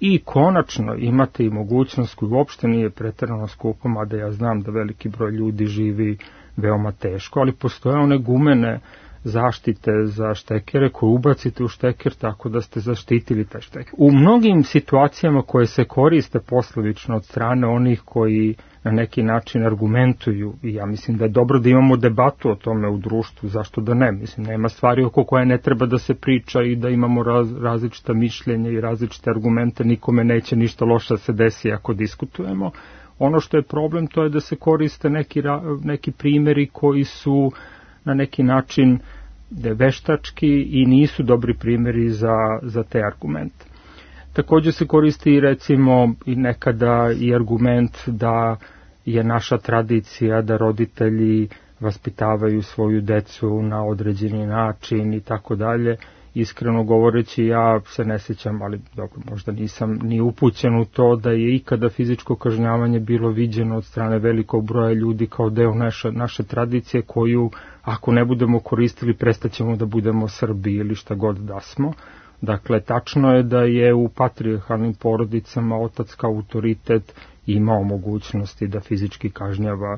i konačno imate i mogućnost koju uopšte nije preterano skupo, mada ja znam da veliki broj ljudi živi veoma teško, ali postoje one gumene zaštite za štekere koje ubacite u šteker tako da ste zaštitili taj šteker. U mnogim situacijama koje se koriste poslovično od strane onih koji na neki način argumentuju, i ja mislim da je dobro da imamo debatu o tome u društvu, zašto da ne, mislim, nema stvari oko koje ne treba da se priča i da imamo raz, različita mišljenja i različite argumente, nikome neće ništa loše da se desi ako diskutujemo. Ono što je problem to je da se koriste neki, neki primjeri koji su na neki način veštački i nisu dobri primjeri za, za te argumente. Također se koristi recimo i nekada i argument da je naša tradicija da roditelji vaspitavaju svoju decu na određeni način i tako dalje. Iskreno govoreći, ja se ne sjećam, ali dobro, možda nisam ni upućen u to da je ikada fizičko kažnjavanje bilo viđeno od strane velikog broja ljudi kao deo naše, naše tradicije koju, ako ne budemo koristili, prestaćemo da budemo Srbi ili šta god da smo. Dakle, tačno je da je u patrijarhalnim porodicama otac kao autoritet imao mogućnosti da fizički kažnjava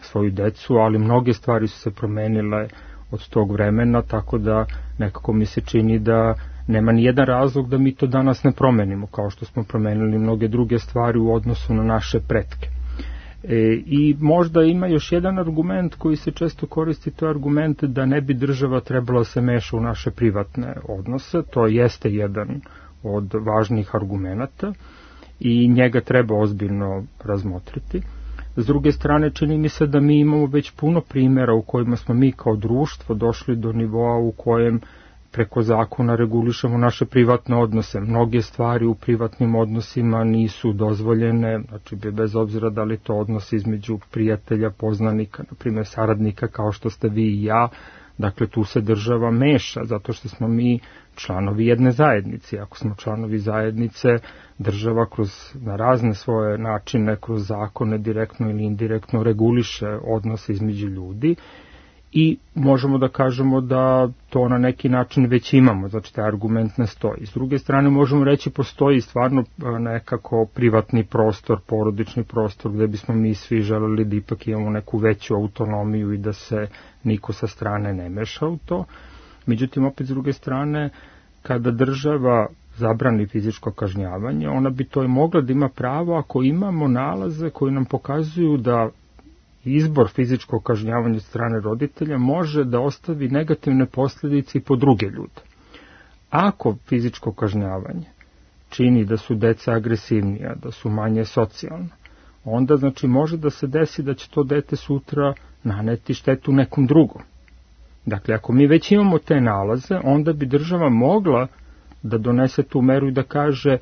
svoju decu, ali mnoge stvari su se promenile od tog vremena, tako da nekako mi se čini da nema ni jedan razlog da mi to danas ne promenimo, kao što smo promenili mnoge druge stvari u odnosu na naše pretke. E, I možda ima još jedan argument koji se često koristi, to je argument da ne bi država trebala se meša u naše privatne odnose. To jeste jedan od važnih argumenata i njega treba ozbiljno razmotriti. S druge strane, čini mi se da mi imamo već puno primjera u kojima smo mi kao društvo došli do nivoa u kojem preko zakona regulišemo naše privatne odnose. Mnoge stvari u privatnim odnosima nisu dozvoljene, znači bez obzira da li to odnos između prijatelja, poznanika, na primjer saradnika kao što ste vi i ja. Dakle, tu se država meša, zato što smo mi članovi jedne zajednice. Ako smo članovi zajednice, država kroz na razne svoje načine, kroz zakone, direktno ili indirektno reguliše odnose između ljudi i možemo da kažemo da to na neki način već imamo, znači taj argument ne stoji. S druge strane možemo reći postoji stvarno nekako privatni prostor, porodični prostor gde bismo mi svi želeli da ipak imamo neku veću autonomiju i da se niko sa strane ne meša u to. Međutim, opet s druge strane, kada država zabrani fizičko kažnjavanje, ona bi to i mogla da ima pravo ako imamo nalaze koji nam pokazuju da izbor fizičkog kažnjavanja od strane roditelja može da ostavi negativne posljedice i po druge ljude. Ako fizičko kažnjavanje čini da su deca agresivnija, da su manje socijalna, onda znači može da se desi da će to dete sutra naneti štetu nekom drugom. Dakle, ako mi već imamo te nalaze, onda bi država mogla da donese tu meru i da kaže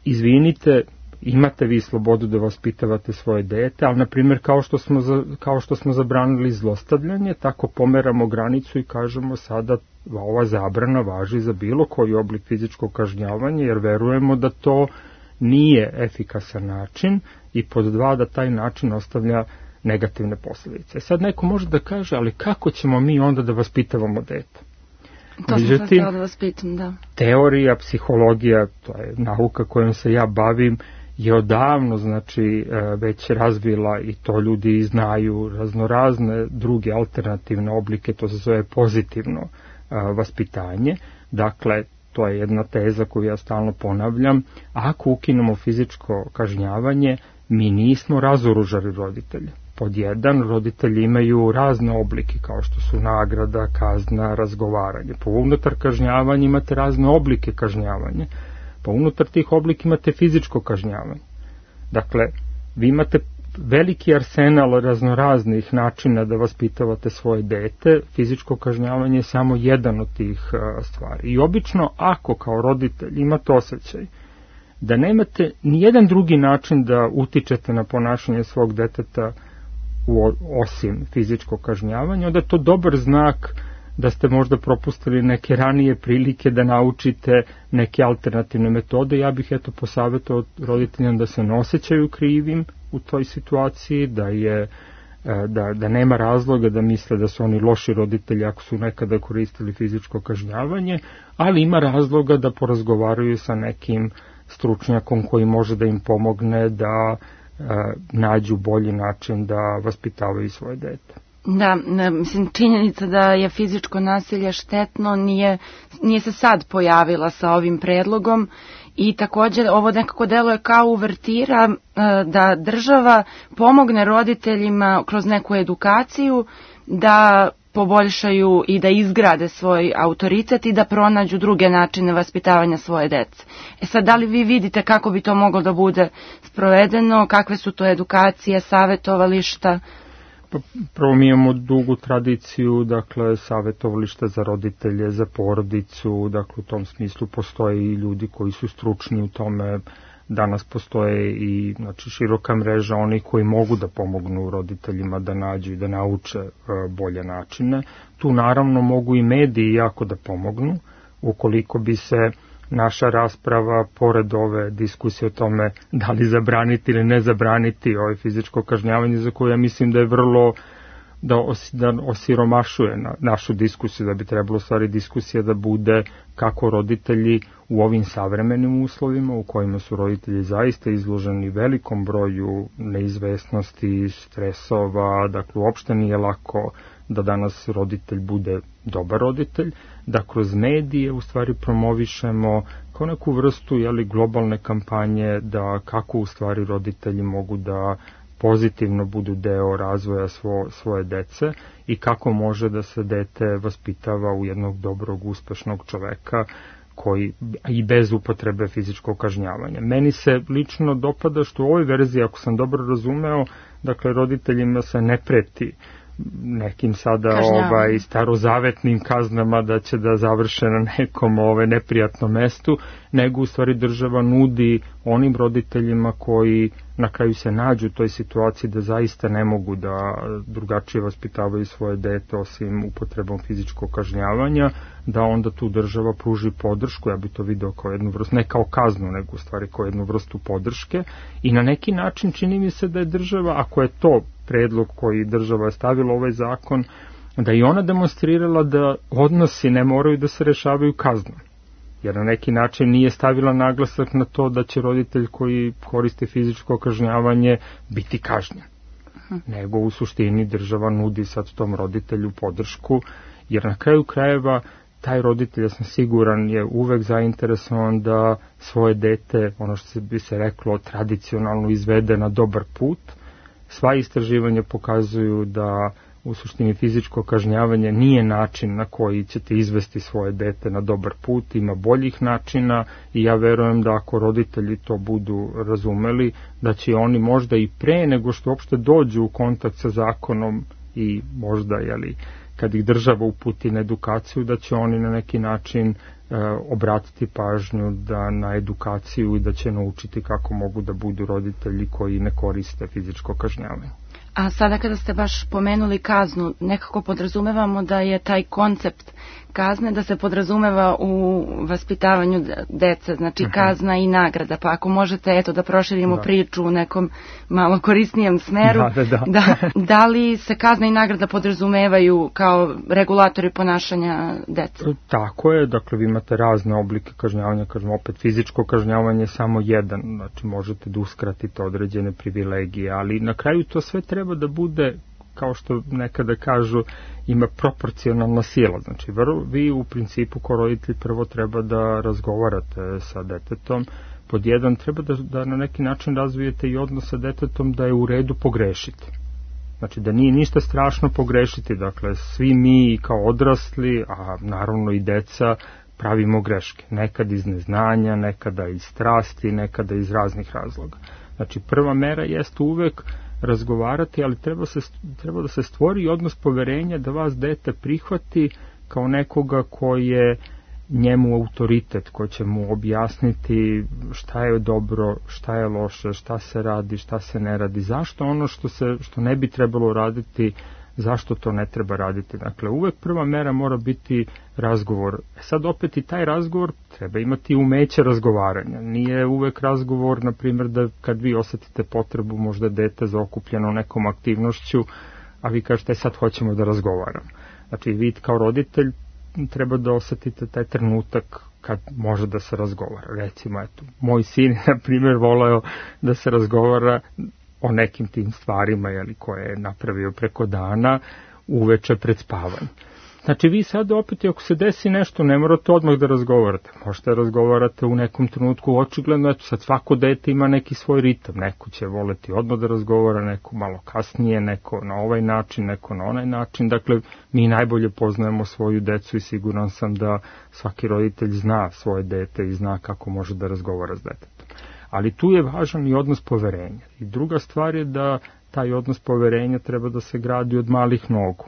izvinite, imate vi slobodu da vaspitavate svoje dete, ali na primjer kao što smo za, kao što smo zabranili zlostavljanje, tako pomeramo granicu i kažemo sada ova zabrana važi za bilo koji oblik fizičkog kažnjavanja, jer verujemo da to nije efikasan način i pod dva da taj način ostavlja negativne posljedice. Sad neko može da kaže, ali kako ćemo mi onda da vaspitavamo dete? To sam sad htjela da vas pitam, da. Teorija, psihologija, to je nauka kojom se ja bavim, je odavno znači već razvila i to ljudi znaju raznorazne druge alternativne oblike, to se zove pozitivno vaspitanje. Dakle, to je jedna teza koju ja stalno ponavljam. Ako ukinemo fizičko kažnjavanje, mi nismo razoružali roditelje. Pod jedan, roditelji imaju razne oblike kao što su nagrada, kazna, razgovaranje. Po unutar kažnjavanja imate razne oblike kažnjavanja. Pa unutar tih oblika imate fizičko kažnjavanje. Dakle, vi imate veliki arsenal raznoraznih načina da vaspitavate svoje dete, fizičko kažnjavanje je samo jedan od tih stvari. I obično, ako kao roditelj imate osjećaj da nemate ni jedan drugi način da utičete na ponašanje svog deteta u, osim fizičkog kažnjavanja, onda je to dobar znak da ste možda propustili neke ranije prilike da naučite neke alternativne metode. Ja bih eto posavjetovao roditeljima da se ne osjećaju krivim u toj situaciji, da je da, da nema razloga da misle da su oni loši roditelji ako su nekada koristili fizičko kažnjavanje, ali ima razloga da porazgovaraju sa nekim stručnjakom koji može da im pomogne da e, nađu bolji način da vaspitavaju svoje dete. Da, mislim, činjenica da je fizičko nasilje štetno nije, nije se sad pojavila sa ovim predlogom i također ovo nekako deluje kao uvertira da država pomogne roditeljima kroz neku edukaciju da poboljšaju i da izgrade svoj autoritet i da pronađu druge načine vaspitavanja svoje dece. E sad, da li vi vidite kako bi to moglo da bude sprovedeno, kakve su to edukacije, savjetovališta? Prvo mi imamo dugu tradiciju, dakle, savjetovališta za roditelje, za porodicu, dakle, u tom smislu postoje i ljudi koji su stručni u tome. Danas postoje i znači, široka mreža onih koji mogu da pomognu roditeljima da nađu i da nauče e, bolje načine. Tu naravno mogu i mediji jako da pomognu, ukoliko bi se naša rasprava, pored ove diskusije o tome da li zabraniti ili ne zabraniti ovaj fizičko kažnjavanje, za koje ja mislim da je vrlo da, os, da osiromašuje na, našu diskusiju, da bi trebalo stvari diskusija da bude kako roditelji u ovim savremenim uslovima u kojima su roditelji zaista izloženi velikom broju neizvesnosti, stresova, dakle uopšte nije lako da danas roditelj bude dobar roditelj, da kroz medije u stvari promovišemo kao neku vrstu jeli, globalne kampanje da kako u stvari roditelji mogu da pozitivno budu deo razvoja svo, svoje dece i kako može da se dete vaspitava u jednog dobrog, uspešnog čoveka koji i bez upotrebe fizičkog kažnjavanja. Meni se lično dopada što u ovoj verziji, ako sam dobro razumeo, dakle roditeljima se ne preti nekim sada ovaj starozavetnim kaznama da će da završe na nekom ovaj neprijatnom mestu, nego u stvari država nudi onim roditeljima koji na kraju se nađu u toj situaciji da zaista ne mogu da drugačije vaspitavaju svoje dete osim upotrebom fizičkog kažnjavanja, da onda tu država pruži podršku, ja bi to video kao jednu vrstu, ne kao kaznu, nego u stvari kao jednu vrstu podrške i na neki način čini mi se da je država, ako je to predlog koji država je stavila ovaj zakon, da i ona demonstrirala da odnosi ne moraju da se rešavaju kaznom. Jer na neki način nije stavila naglasak na to da će roditelj koji koristi fizičko kažnjavanje biti kažnjen. Uh-huh. Nego u suštini država nudi sad tom roditelju podršku, jer na kraju krajeva taj roditelj, ja sam siguran, je uvek zainteresovan da svoje dete, ono što bi se reklo, tradicionalno izvede na dobar put. Sva istraživanja pokazuju da u suštini fizičko kažnjavanje nije način na koji ćete izvesti svoje dete na dobar put, ima boljih načina i ja verujem da ako roditelji to budu razumeli, da će oni možda i pre nego što uopšte dođu u kontakt sa zakonom i možda, jeli, kad ih država uputi na edukaciju, da će oni na neki način e, obratiti pažnju da na edukaciju i da će naučiti kako mogu da budu roditelji koji ne koriste fizičko kažnjavanje. A sada kada ste baš pomenuli kaznu, nekako podrazumevamo da je taj koncept kazne da se podrazumeva u vaspitavanju dece, znači uh-huh. kazna i nagrada, pa ako možete eto da proširimo da. priču u nekom malo korisnijem smeru, da, da, da. da, da li se kazna i nagrada podrazumevaju kao regulatori ponašanja dece? Tako je, dakle vi imate razne oblike kažnjavanja, kažem opet fizičko kažnjavanje je samo jedan, znači možete da uskratite određene privilegije, ali na kraju to sve treba da bude, kao što nekada kažu, ima proporcionalna sila. Znači, vi u principu kao roditelj prvo treba da razgovarate sa detetom. Pod jedan, treba da, da na neki način razvijete i odnos sa detetom da je u redu pogrešiti. Znači, da nije ništa strašno pogrešiti. Dakle, svi mi kao odrasli, a naravno i deca, pravimo greške. Nekad iz neznanja, nekada iz strasti, nekada iz raznih razloga. Znači, prva mera jeste uvek razgovarati, ali treba, se, treba da se stvori odnos poverenja da vas dete prihvati kao nekoga koji je njemu autoritet, koji će mu objasniti šta je dobro, šta je loše, šta se radi, šta se ne radi, zašto ono što, se, što ne bi trebalo raditi, zašto to ne treba raditi. Dakle, uvek prva mera mora biti razgovor. E sad opet i taj razgovor treba imati umeće razgovaranja. Nije uvek razgovor, na primjer, da kad vi osetite potrebu možda dete zaokupljeno nekom aktivnošću, a vi kažete sad hoćemo da razgovaramo. Znači, vi kao roditelj treba da osetite taj trenutak kad može da se razgovara. Recimo, eto, moj sin je, na primjer, voleo da se razgovara o nekim tim stvarima, jeli, koje je napravio preko dana uveče pred spavanje. Znači, vi sad opet, ako se desi nešto, ne morate odmah da razgovarate. Možete da razgovarate u nekom trenutku, očigledno, eto, sad svako dete ima neki svoj ritam. Neko će voleti odmah da razgovara, neko malo kasnije, neko na ovaj način, neko na onaj način. Dakle, mi najbolje poznajemo svoju decu i siguran sam da svaki roditelj zna svoje dete i zna kako može da razgovara s detetom. Ali tu je važan i odnos poverenja. I druga stvar je da taj odnos poverenja treba da se gradi od malih nogu.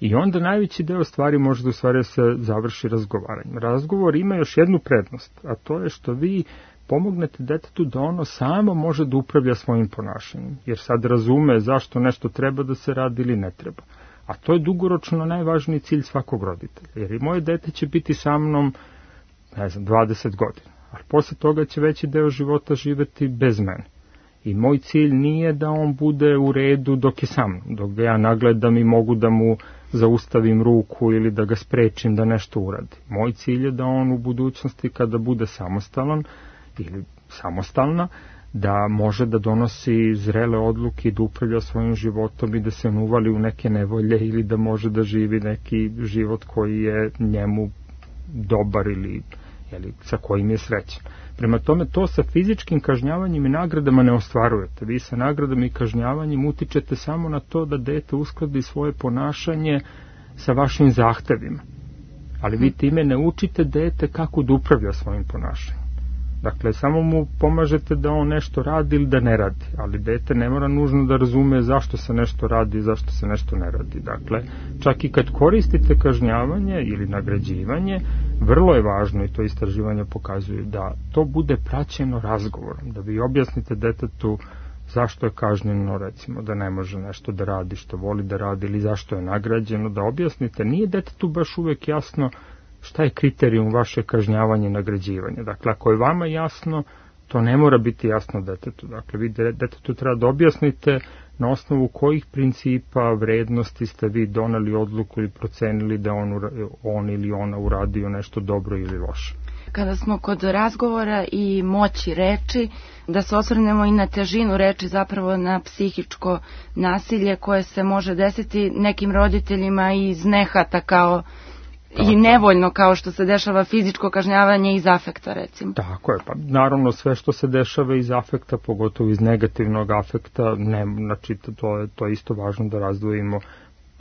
I onda najveći deo stvari može da u stvari se završi razgovaranjem. Razgovor ima još jednu prednost, a to je što vi pomognete detetu da ono samo može da upravlja svojim ponašanjem. Jer sad razume zašto nešto treba da se radi ili ne treba. A to je dugoročno najvažniji cilj svakog roditelja. Jer i moje dete će biti sa mnom, ne znam, dvadeset godina. Ali posle toga će veći deo života živeti bez mene. I moj cilj nije da on bude u redu dok je sam, dok ga ja nagledam i mogu da mu zaustavim ruku ili da ga sprečim da nešto uradi. Moj cilj je da on u budućnosti kada bude samostalan ili samostalna, da može da donosi zrele odluke i da upravlja svojim životom i da se ne uvali u neke nevolje ili da može da živi neki život koji je njemu dobar ili jeli, sa kojim je srećan. Prema tome, to sa fizičkim kažnjavanjem i nagradama ne ostvarujete. Vi sa nagradama i kažnjavanjem utičete samo na to da dete uskladi svoje ponašanje sa vašim zahtevima. Ali vi time ne učite dete kako da upravlja svojim ponašanjem. Dakle, samo mu pomažete da on nešto radi ili da ne radi, ali dete ne mora nužno da razume zašto se nešto radi i zašto se nešto ne radi. Dakle, čak i kad koristite kažnjavanje ili nagrađivanje, vrlo je važno, i to istraživanja pokazuju, da to bude praćeno razgovorom, da vi objasnite detetu zašto je kažnjeno, recimo, da ne može nešto da radi što voli da radi ili zašto je nagrađeno, da objasnite. Nije detetu baš uvek jasno šta je kriterijum vaše kažnjavanja i nagrađivanja. Dakle, ako je vama jasno, to ne mora biti jasno detetu. Dakle, vi detetu treba da objasnite na osnovu kojih principa, vrednosti ste vi doneli odluku ili procenili da on, on ili ona uradio nešto dobro ili loše. Kada smo kod razgovora i moći reči, da se osvrnemo i na težinu reči, zapravo na psihičko nasilje koje se može desiti nekim roditeljima iz nehata kao Tako. I nevoljno, kao što se dešava fizičko kažnjavanje iz afekta, recimo. Tako je, pa naravno sve što se dešava iz afekta, pogotovo iz negativnog afekta, ne, znači to je, to je isto važno da razdvojimo.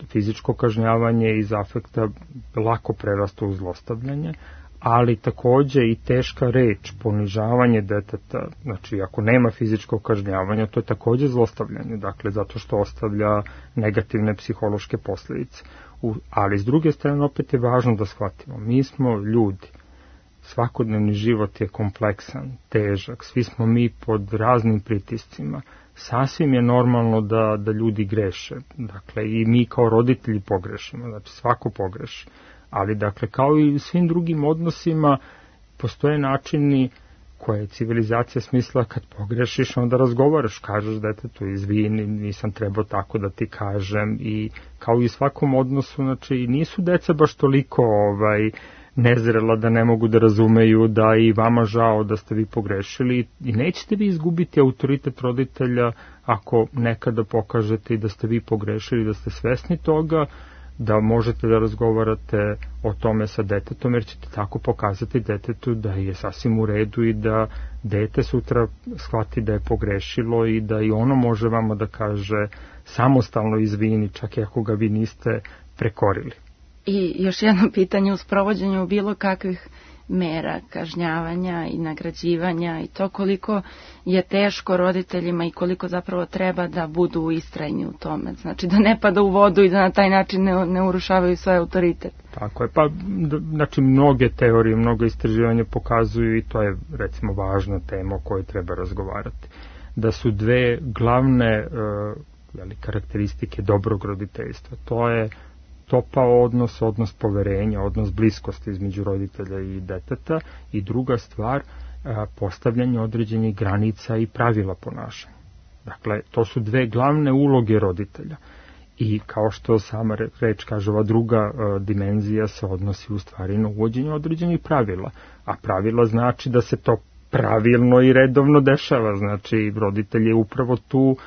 Fizičko kažnjavanje iz afekta lako prerasta u zlostavljanje, ali takođe i teška reč, ponižavanje deteta, znači ako nema fizičkog kažnjavanja, to je takođe zlostavljanje, dakle zato što ostavlja negativne psihološke posljedice. U, ali s druge strane opet je važno da shvatimo, mi smo ljudi, svakodnevni život je kompleksan, težak, svi smo mi pod raznim pritiscima, sasvim je normalno da, da ljudi greše, dakle i mi kao roditelji pogrešimo, znači svako pogreši, ali dakle kao i u svim drugim odnosima postoje načini koje je civilizacija smisla kad pogrešiš, onda razgovaraš, kažeš detetu izvini, nisam trebao tako da ti kažem i kao i u svakom odnosu, znači nisu deca baš toliko ovaj, nezrela da ne mogu da razumeju da i vama žao da ste vi pogrešili i nećete vi izgubiti autoritet roditelja ako nekada pokažete i da ste vi pogrešili, da ste svesni toga, da možete da razgovarate o tome sa detetom, jer ćete tako pokazati detetu da je sasvim u redu i da dete sutra shvati da je pogrešilo i da i ono može vama da kaže samostalno izvini, čak i ako ga vi niste prekorili. I još jedno pitanje u sprovođenju bilo kakvih mera kažnjavanja i nagrađivanja i to koliko je teško roditeljima i koliko zapravo treba da budu istrajni u tome. Znači da ne pada u vodu i da na taj način ne, ne urušavaju svoj autoritet. Tako je, pa znači mnoge teorije, mnogo istraživanja pokazuju i to je recimo važna tema o kojoj treba razgovarati. Da su dve glavne uh, karakteristike dobrog roditeljstva. To je topao odnos, odnos poverenja, odnos bliskosti između roditelja i deteta i druga stvar, postavljanje određenih granica i pravila ponašanja. Dakle, to su dve glavne uloge roditelja i kao što sama reč kaže, ova druga dimenzija se odnosi u stvari na uvođenje određenih pravila, a pravila znači da se to pravilno i redovno dešava, znači roditelj je upravo tu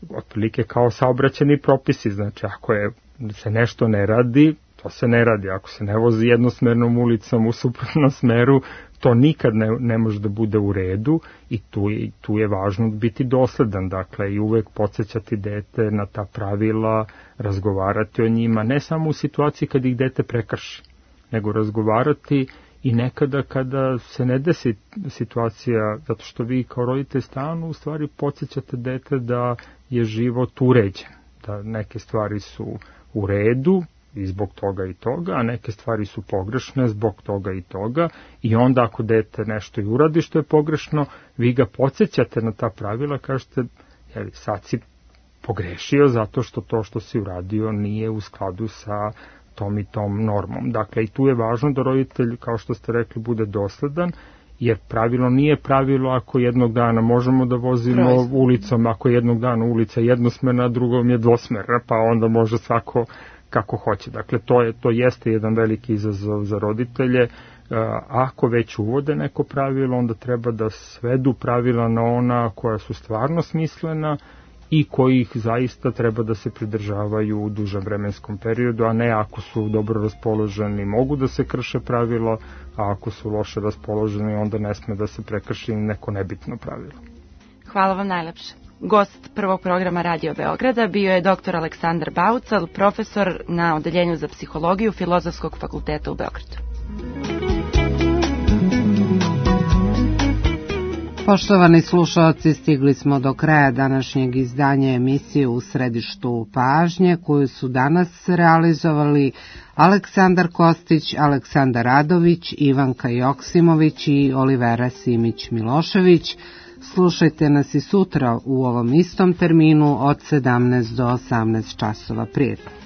otprilike kao saobraćajni propisi, znači ako je se nešto ne radi, to se ne radi. Ako se ne vozi jednosmernom ulicom u suprotnom smeru, to nikad ne, ne može da bude u redu i tu je, tu je važno biti dosledan, dakle i uvek podsjećati dete na ta pravila, razgovarati o njima, ne samo u situaciji kad ih dete prekrši, nego razgovarati i nekada kada se ne desi situacija, zato što vi kao roditelj stalno u stvari podsjećate dete da je život uređen, da neke stvari su u redu i zbog toga i toga, a neke stvari su pogrešne zbog toga i toga i onda ako dete nešto i uradi što je pogrešno, vi ga podsjećate na ta pravila, kažete, jeli, sad si pogrešio zato što to što si uradio nije u skladu sa tom i tom normom. Dakle, i tu je važno da roditelj, kao što ste rekli, bude dosledan jer pravilo nije pravilo ako jednog dana možemo da vozimo Proizvod. ulicom, ako jednog dana ulica jednosmerna, a drugom je dvosmerna, pa onda može svako kako hoće. Dakle, to, je, to jeste jedan veliki izazov za roditelje. Ako već uvode neko pravilo, onda treba da svedu pravila na ona koja su stvarno smislena i kojih zaista treba da se pridržavaju u dužem vremenskom periodu, a ne ako su dobro raspoloženi mogu da se krše pravilo, a ako su loše raspoloženi onda ne sme da se prekrši neko nebitno pravilo. Hvala vam najlepše. Gost prvog programa Radio Beograda bio je doktor Aleksandar Baucal, profesor na Odeljenju za psihologiju Filozofskog fakulteta u Beogradu. Poštovani slušalci, stigli smo do kraja današnjeg izdanja emisije U središtu pažnje, koju su danas realizovali Aleksandar Kostić, Aleksandar Radović, Ivanka Joksimović i Olivera Simić-Milošević. Slušajte nas i sutra u ovom istom terminu od sedamnaest do osamnaest časova. Prijetno.